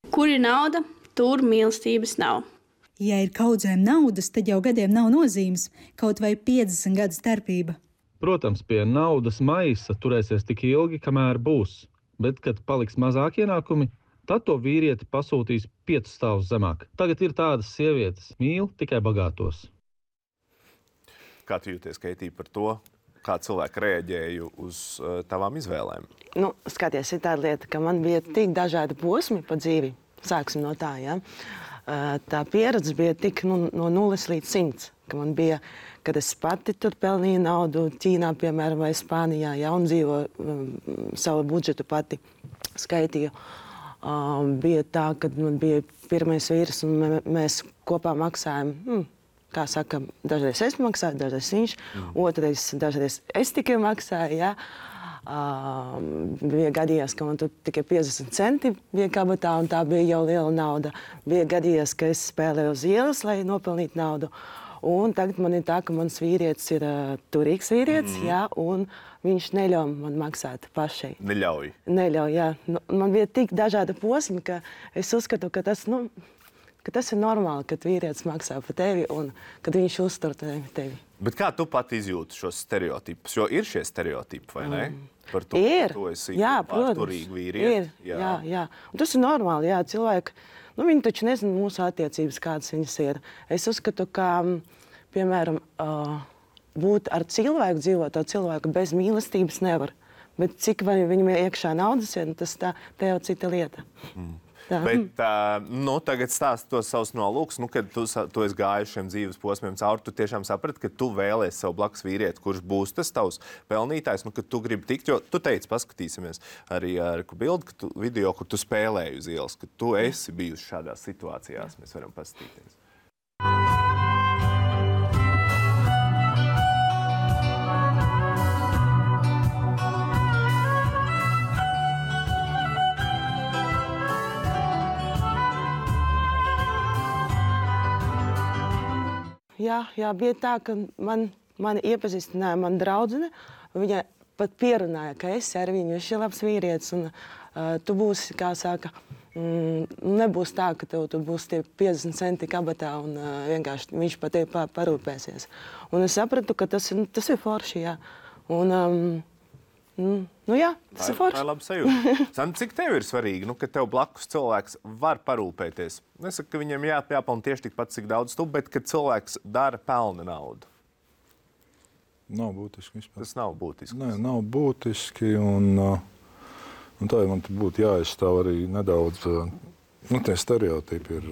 Kur ir nauda, tur mīlestības nav. Ja ir kaudzēm naudas, tad jau gadiem nav nozīmes, kaut vai 50 gadu starpība. Protams, pie naudas maisa turēsies tik ilgi, kamēr būs. Bet, kad paliks mazāk ienākumi, tad to vīrieti pasūtīs 5 stāvus zemāk. Tagad ir tādas sievietes, mīl tikai bagātos. Kā tu jūties, Keitija, par to, kā cilvēki reaģēja uz tavām izvēlēm? Skaties, ir tāda lieta, ka man bija tik dažādi posmi pa dzīvi. Sāksim no tā, ja? Tā pieredze bija tik no 0 līdz 100, ka man bija, kad es pati tur pelnīju naudu Ķīnā, piemēram, vai Spānijā, un dzīvo savu budžetu pati skaitīju. Bija tā, kad man bija pirmais vīrs, un mēs kopā maksājam, kā saka, dažreiz es maksāju, dažreiz viņš, otrais dažreiz es tikai maksāju, ja. Bija gadījās, ka man tur tikai 50 centi bija kabatā, un tā bija jau liela nauda. Bija gadījās, ka es spēlēju uz ielas, lai nopelnītu naudu. Un tagad man ir tā, ka mans vīrietis ir turīgs vīrietis, un viņš neļauj man maksāt pašai. Neļauj? Neļauj, jā. Man bija tik dažādi posmi, ka es uzskatu, ka tas ir normāli, kad vīrietis maksā par tevi un kad viņš uztur tevi. Bet kā tu pat izjūti šos stereotipus? Jo ir šie stereotipi, vai ne? Par to, ir. Tu esi protams, vīrieti. Jā. Un tas ir normāli, jā, cilvēki. Viņi taču nezina mūsu attiecības, kādas viņas ir. Es uzskatu, ka, piemēram, būt ar cilvēku, dzīvot ar cilvēku bez mīlestības nevar. Bet cik vai viņam iekšā naudas ir, tas tā jau cita lieta. Bet tagad stāsti tos savus nolūkus, kad tu esi gājis šiem dzīves posmiem cauri, tu tiešām saprati, ka tu vēlies savu blakus vīrieti, kurš būs tas tavs pelnītājs, ka tu gribi tikt, jo tu teici, paskatīsimies arī ar bildi, video, kur tu spēlēji uz ielas, ka tu esi bijusi šādās situācijās, mēs varam paskatīties. Jā, bija tā, ka mani iepazīstināja mana draudzene. Viņa pat pierunāja, ka es ar viņu, viņš ir labs vīrietis. Un, tu būsi, kā saka, nebūs tā, ka tev tur būs tie 50 centi kabatā un vienkārši viņš par tevi parūpēsies. Un es sapratu, ka tas ir forši, jā. Un, jā, tas ir forši. Tā ir laba sajūta. Sandra, cik tev ir svarīgi, ka tev blakus cilvēks var parūpēties? Nesaku, ka viņam jāpelna tieši tikpat, cik daudz tu, bet ka cilvēks dara pelna naudu. Nav būtiski vispār. Tas nav būtiski. Nē, nav būtiski. Un tā man būtu jāizstāv arī nedaudz. Tie stereotipi ir.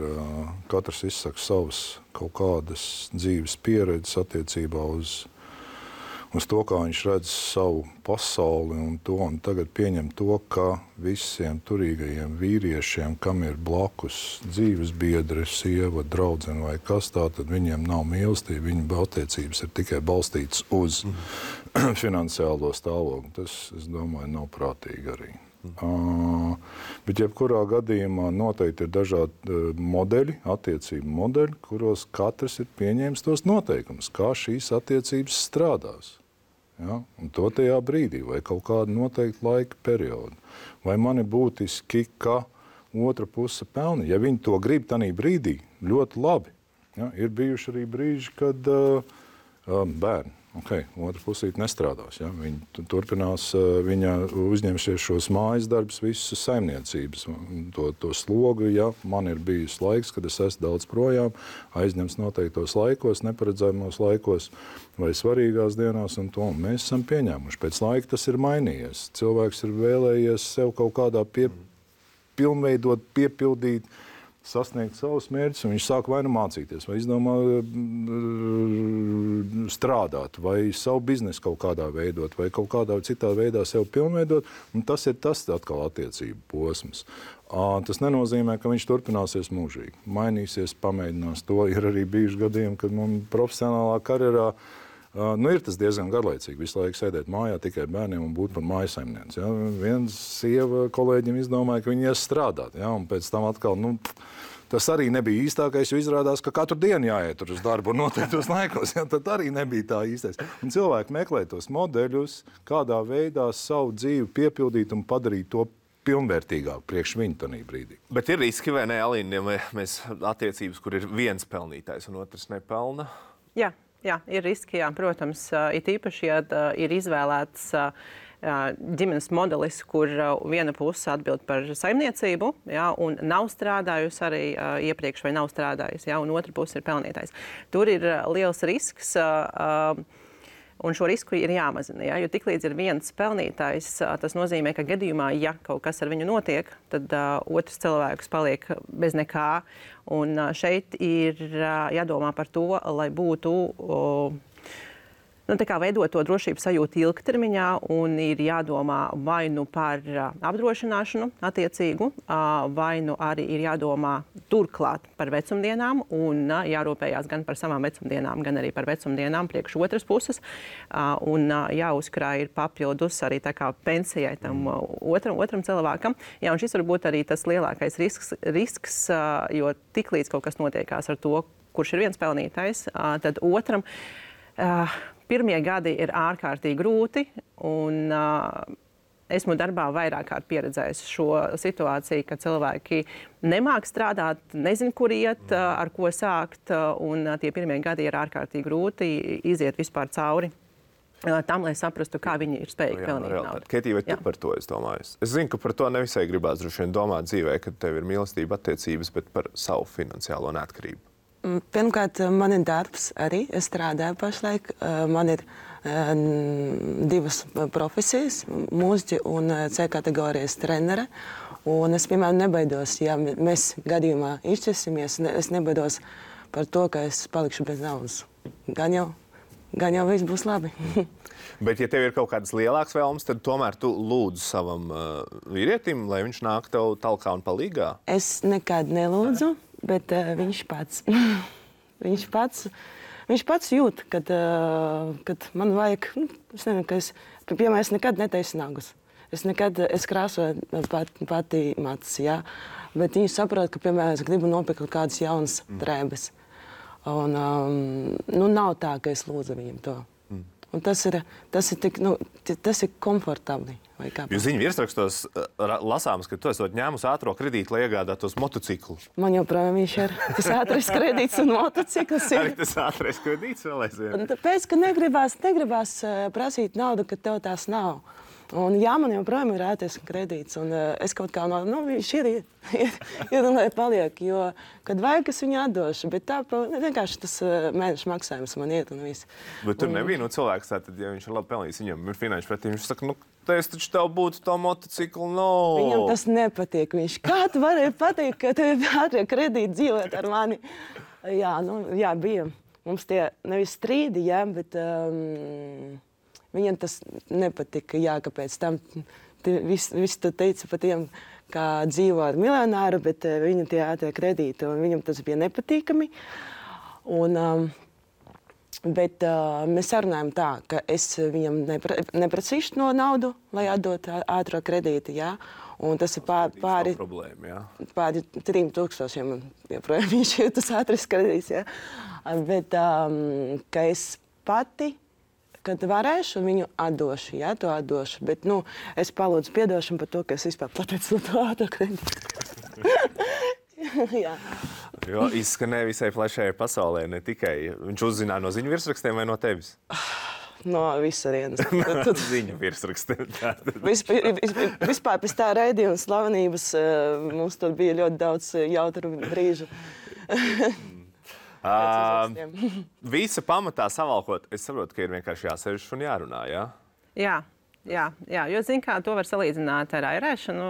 Katrs izsaka savas kaut kādas dzīves pieredzes attiecībā uz to, kā viņš redz savu pasauli un to. Un tagad pieņem to, ka visiem turīgajiem vīriešiem, kam ir blakus dzīves biedri, sieva, draudzene vai kas tā, tad viņiem nav mīlestība. Viņu attiecības ir tikai balstītas uz finansiālo stāvokli. Tas, es domāju, nav prātīgi arī. Bet jebkurā gadījumā noteikti ir dažādi modeļi, attiecību modeļi, kuros katrs ir pieņēmis tos noteikumus, kā šīs attiecības strādās. Ja? Un to tajā brīdī, vai kaut kādu noteiktu laika periodu. Vai man ir būtiski, ka otra puse pelna? Ja viņi to grib tanī brīdī, ļoti labi. Ja? Ir bijuši arī brīži, kad bērni. Otra pusīte nestrādās. Ja? Viņa turpinās, viņa uzņemšies šos mājas darbus, visas saimniecības, to slogu. Ja man ir bijis laiks, kad es esmu daudz projām, aizņemts noteiktos laikos, neparedzējumos laikos vai svarīgās dienās, un to mēs esam pieņēmuši. Pēc laika tas ir mainījies. Cilvēks ir vēlējies sev kaut kādā pilnveidot, piepildīt, sasniegt savus mērķus, un viņš sāk vai nu mācīties, vai izdomā strādāt, vai savu biznesu kaut kādā veidot, vai kaut kādā citā veidā sev pilnveidot, un tas ir tas atkal attiecību posms. Tas nenozīmē, ka viņš turpināsies mūžīgi. Mainīsies, pamēģinās to. Ir arī bijuši gadījumi, kad man profesionālā karjerā ir tas diezgan garlaicīgi. Visu laiku sēdēt mājā tikai bērniem un būt par mājasaimnieci. Ja? Viens sieva kolēģim izdomāja, ka viņi ies strādāt. Ja? Un pēc tam atkal, tas arī nebija īstākais, jo izrādās, ka katru dienu jāiet uz darbu un noteiktos laikos. Ja? Tad arī nebija tā īstais. Un cilvēki meklē tos modeļus, kādā veidā savu dzīvi piepildīt un padarīt to pilnvērtīgāk priekš viņu tanī brīdī. Bet ir riski, vai ne, Alīna, ja mēs attiecības, kur ir viens pelnītājs un otrs nepelna? Jā, ir riski, jā, protams, it īpaši, ja ir izvēlēts ģimenes modelis, kur viena puse atbild par saimniecību, jā, un nav strādājusi arī iepriekš vai nav strādājusi, jā, un otra puse ir pelnītājs. Tur ir liels risks, un šo risku ir jāmazina, jā, jo tiklīdz ir viens pelnītājs, tas nozīmē, ka gadījumā, ja kaut kas ar viņu notiek, tad otrs cilvēks paliek bez nekā. Un šeit ir jādomā par to, lai būtu veidot to drošības sajūtu ilgtermiņā, un ir jādomā vai nu par apdrošināšanu attiecīgu, vai nu arī ir jādomā turklāt par vecumdienām, un jārūpējās gan par savām vecumdienām, gan arī par vecumdienām priekš otras puses, un jāuzkrāj ir papildus arī tā kā pensijai tam otram cilvēkam. Jā, un šis var būt arī tas lielākais risks, jo tiklīdz kaut kas notiekās ar to, kurš ir viens pelnītājs, tad otram pirmie gadi ir ārkārtīgi grūti, un esmu darbā vairāk kārt pieredzējis šo situāciju, ka cilvēki nemāk strādāt, nezin, kur iet, ar ko sākt, un tie pirmie gadi ir ārkārtīgi grūti iziet vispār cauri tam, lai saprastu, kā viņi ir spējīgi pelnīt naudu. Ketī, vai tu par to es domāju? Es zinu, ka par to nevisai gribās droši vien domāt dzīvē, kad tev ir mīlestība attiecības, bet par savu finansiālo neatkarību. Pirmkārt, man ir darbs arī. Es strādāju pašlaik. Man ir divas profesijas, mūziķi un C kategorijas trenere. Un es, piemēram, nebaidos, ja mēs gadījumā izšķirsimies, es nebaidos par to, ka es palikšu bez naudas. Gan jau viss būs labi. Bet, ja tev ir kaut kādas lielākas vēlmes, tad tomēr tu lūdzu savam vīrietim, lai viņš nāk tev talkā un palīgā? Es nekad nelūdzu. Bet viņš pats jūt, kad man vajag, es nezinu, ka piemēram, es nekad netaisu nagus. Es krāsoju pati matus, jā. Bet viņi saprot, ka, piemēram, es gribu nopirkt kādas jaunas drēbes. Un, nav tā, ka es lūdzu viņam to. Un tas ir tik, tas ir komfortabli. Jūs ziņu virsrakstos lasāms, ka tu esat ņēmusi ātro kredītu, lai iegādātos motociklu. Man joprojām viņš ir tas ātrais kredīts un motocikls. Arī tas ātrais kredīts vēl aizvien? Tāpēc, ka negribās prasīt naudu, kad tev tās nav. Un jā, man joprojām ir ātrais kredīts. Un es kaut kā viņš ir lai paliek, jo, kad vajag, es viņu atdošu. Bet tā vienkārši tas mēneša maksājums man iet un viss. Bet tur nebija cilvēks, tātad, ja viņš ir labi pelnījis, viņam ir finanšu pretī, viņš saka, es taču tev būtu to motociklu, Viņam tas nepatīk. Viņš, kā tu varēji pateikt, ka tev ir ātrie kredīti dzīvot ar mani? Jā, bija. Mums tie nevis strīdi, bet viņam tas nepatika. Jā, kāpēc tam viss tu teici par tiem, kā dzīvo ar miljonāru, bet viņam tie ātrie kredīti, un viņam tas bija nepatīkami. Bet mēs sarunājam tā, ka es viņam neprasīšu no naudu, lai atdot ātro kredītu, jā. Un tas ir pāri 3000, joprojām viņš ir tas ātrais kredīts, jā. Bet ka es pati, kad varēšu, viņu atdošu, jā, to atdošu. Bet, es palūdzu piedošanu par to, ka es vispār pateicu no to ātro kredītu. Jā. Jo izskanēja visai plašajai pasaulē, ne tikai. Viņš uzzināja no ziņu virsrakstiem vai no tevis? No visarienes. Ziņu virsrakstiem. Vispār pēc tā raidījuma slavenības mums tur bija ļoti daudz jautru brīžu. Visa pamatā savalkot, es saprotu, ka ir vienkārši jāsēž un jārunā, jā? Jā, jo, kā to var salīdzināt ar airēšanu,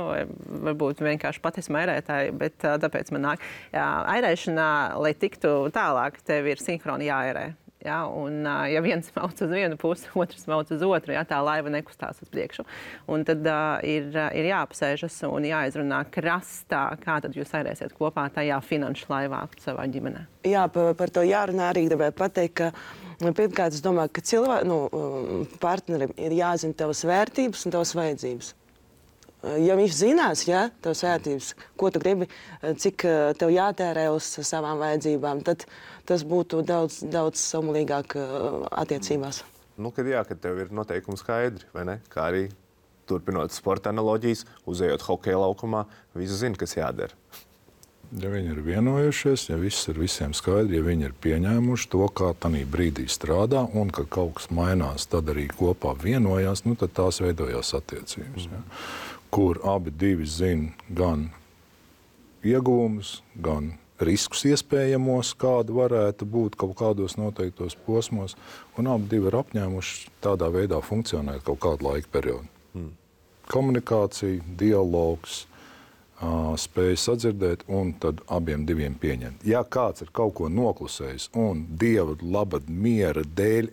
varbūt vienkārši pat esmu airētāji, bet tāpēc man nāk. Airēšanā, lai tiktu tālāk, tev ir sinhroni jāairē. Ja, un, ja viens mauc uz vienu pusi, otrs mauc uz otru, ja, tā laiva nekustās uz priekšu. Un tad ir jāapsēžas un jāizrunā krastā, kā tad jūs airēsiet kopā tajā finanšu laivā savā ģimenē. Jā, par to jārunā arī gribēju pateikt, ka pirmkārt, es domāju, ka partnerim ir jāzina tavas vērtības un tavas vajadzības. Ja viņš zinās, tavas vērtības, ko tu gribi, cik tev jātērē uz savām vajadzībām, tad tas būtu daudz samulīgāk attiecībās. Kad tev ir noteikumi skaidri, vai ne? Kā arī turpinot sporta analoģijas, uzejot hokeja laukumā, visi zina, kas jādara. Ja viņi ir vienojušies, ja viss ir visiem skaidri, ja viņi ir pieņēmuši to, kā tanī brīdī strādā un ka kaut kas mainās, tad arī kopā vienojās, tad tās veidojās attiecības. Ja. Kur abi divi zina gan ieguvumus, gan riskus iespējamos, kāda varētu būt kaut kādos noteiktos posmos, un abi divi ir apņēmuši tādā veidā funkcionēt kaut kādu laika periodu. Komunikācija, dialogs, spēja sadzirdēt un tad abiem diviem pieņemt. Ja kāds ir kaut ko noklusējis un Dieva labad miera dēļ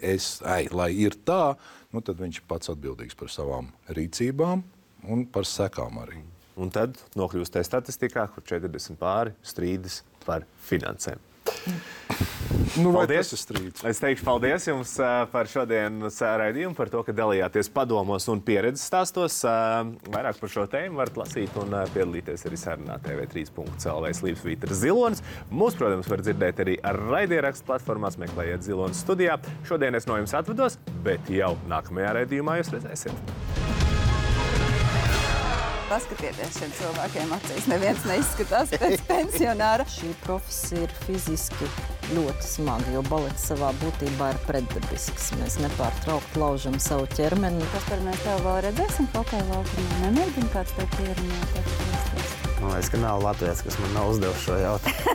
lai ir tā, tad viņš pats atbildīgs par savām rīcībām un par sekām arī. Un tad nokļūst tajā statistikā, kur 40 pāri strīdas par finansēm. Paldies! Es teikšu paldies jums par šodienas raidījumu, par to, ka dalījāties padomos un pieredzes stāstos. Vairāk par šo tēmu varat lasīt un piedalīties arī sarunā tv3.lv /Vītra Zilonis. Mūs, protams, var dzirdēt arī ar raidierakstu platformās, meklējiet Zilonis studijā. Šodien es no jums atvados, bet jau nākamajā raidījumā jūs redzēsiet. Paskatieties šiem cilvēkiem acīs. Neviens neizskatās pēc pensionāra. Šī profesija ir fiziski ļoti smaga, jo balets savā būtībā ir pretdabisks. Mēs nepārtraukti laužam savu ķermeni. Kaspar, mēs tev vēl redzēsim hokeja laukumā? Nemēģini kāds tev pierunāt? Man liekas, ka nav Latvijas, kas man nav uzdevuši šo jautājumu.